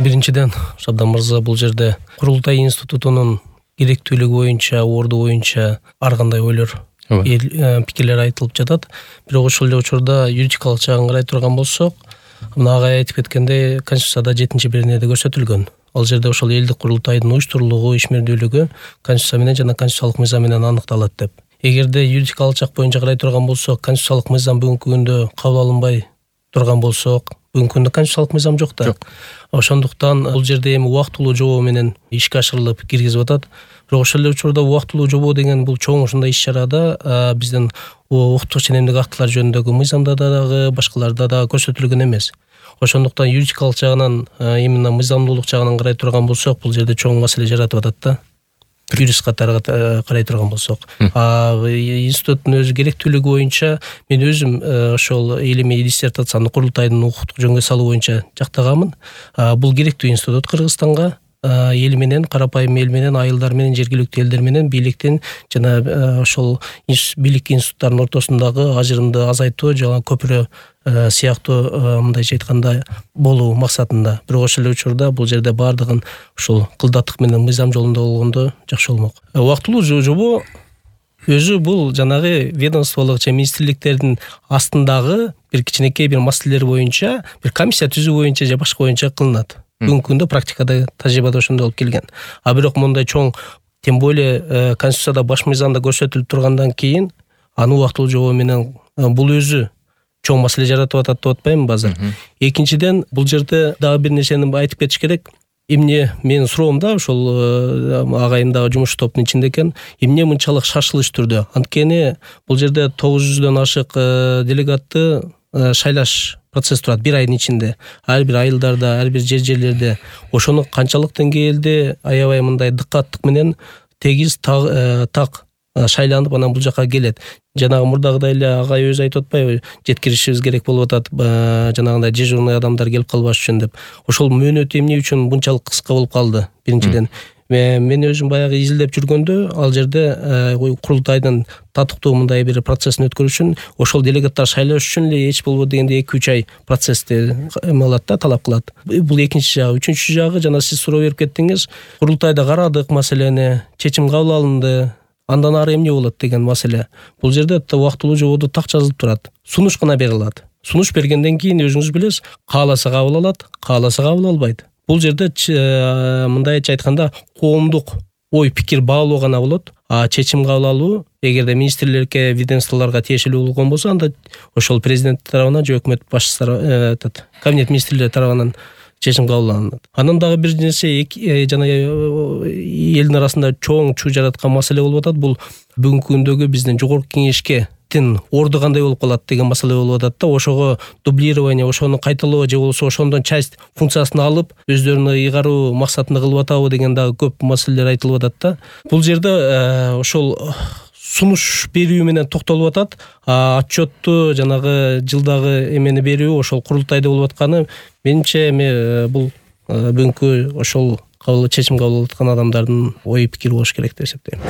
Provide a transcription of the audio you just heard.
Биринчиден Шабдан мырза бул жерде Курултай институтунун керектүүлүгү боюнча, орду боюнча ар кандай ойлор, пикирлер айтылып жатат. Бирок ошол эле учурда юридикалык жагын карай турган болсок, мына агай айтып кеткендей, Конституцияда 7-беренеде көрсөтүлгөн. Ал жерде ошол элдик курултайдын уюштурулугу, ишмердүүлүгү Конституция менен жана конституциялык мыйзам менен аныкталат деп. Эгерде юридикалык жак боюнча карай турган болсок, конституциялык мыйзам бүгүнкү күндө кабыл алынбай турган болсок, бүгүнкү күндө конституциялык мыйзам жок да. Ошондуктан бул жерде эми убактылуу жобоо менен ишке ашырылып киргизип атат. Бирок ошол эле учурда убактылуу жобоо деген бул чоң ушундай иш-чарада биздин укуктук ченемдик актылар жөнүндөгү мыйзамда дагы, башкаларда да көрсөтүлгөн эмес. Ошондуктан юридикалык жагынан, именно мыйзамдуулук жагынан карай турган болсок, бул жерде чоң маселе жаратып атат да. Юрист катары карай турган болсок, институттун өзү керектүүлүгү боюнча мен өзүм ошол илимий диссертациямды курултайдын укуктук жөнгө салуу боюнча жактаганмын. Бул керектүү институт Кыргызстанга, эл менен, карапайым эл менен, айылдар менен, жергиликтүү элдер менен бийликтин жана ошол бийлик институттарынын ортосундагы ажырымды азайтуу жана көпүрө сыяктуу мындайча айтканда болуу максатында. Бирок ошол эле учурда бул жерде баардыгын ушул кылдаттык менен мыйзам жолунда болгондо жакшы болмок. Убактылуу жобо өзү бул жанагы ведомстволук же министрликтердин астындагы бир кичинекей бир маселелер боюнча бир комиссия түзүү боюнча же башка боюнча кылынат. Бүгүнкү күндө практикада, тажрыйбада ошондой болуп келген. Бирок мындай чоң, тем более Конституцияда баш мыйзамда көрсөтүлүп тургандан кийин аны убактылуу жобо менен бул өзү чоң маселе жаратып атат деп атпаймынбы азыр. Экинчиден, бул жерде дагы бир нерсени айтып кетиш керек. Эмне менин суроом да, ошол агайым дагы жумуш топтун ичинде экен. Эмне мынчалык шашылыш түрдө? Анткени бул жерде 900дөн ашык делегатты шайлаш процесс турат бир айдын ичинде. Ар бир айылдарда, ар бир жерлерде ошону канчалык деңгээлде аябай мындай дыккаттык менен тегиз так шайланып анан бул жака келет. Жанагы мурдагыдай эле агай өзү айтып атпайбы, жеткиришибиз керек болуп атат, жанагындай дежурный адамдар келип калбаш үчүн деп. Ошол мөөнөт эмне үчүн мынчалык кыска болуп калды? Биринчиден, мен өзүм баягы изилдеп жүргөндө ал жерде курултайдын татыктуу мындай бир процессин өткөрүш үчүн ошол делегаттар шайлаш үчүн эле эч болбодо дегенде 2-3 ай процессти алат да, талап кылат. Бул экинчи жагы. Үчүнчү жагы, жана сиз суроо берип кеттиңиз, курултайда карадык маселени, чечим кабыл алынды, андан ары эмне болот деген маселе. Бул жерде убактылуу жободо так жазылып турат. Сунуш гана берилат. Сунуш бергенден кийин өзүңүз билесиз, кааласа кабыл алат, кааласа кабыл албайт. Бул жерде мындайча айтканда коомдук ой пикир баалоо гана болот. Чечим кабыл алуу эгерде министрликке, ведомстволорго тиешелүү болгон болсо, анда ошол президент тарабынан же өкмөт башчысы кабинет министрлери тарабынан чечим кабыл алынат. Анан дагы бир нерсе, жана элдин арасында чоң чуу жараткан маселе болуп атат. Бул бүгүнкү күндөгү биздин жогорку кеңешке орду кандай болуп калат деген маселе болуп атат да. Ошого дублирование, ошону кайталоо же болбосо ошондон часть функциясын алып өздөрүнө ыйгаруу максатында кылып атабы деген дагы көп маселелер айтылып атат да. Бул жерде ошол сунуш берүү менен токтолуп атат. Отчетту жанагы жылдагы эмени берүү ошол курултайда болуп атканы менимче эми бул бүгүнкү ошол чечим кабыл алып аткан адамдардын ой пикири болуш керек деп эсептейм.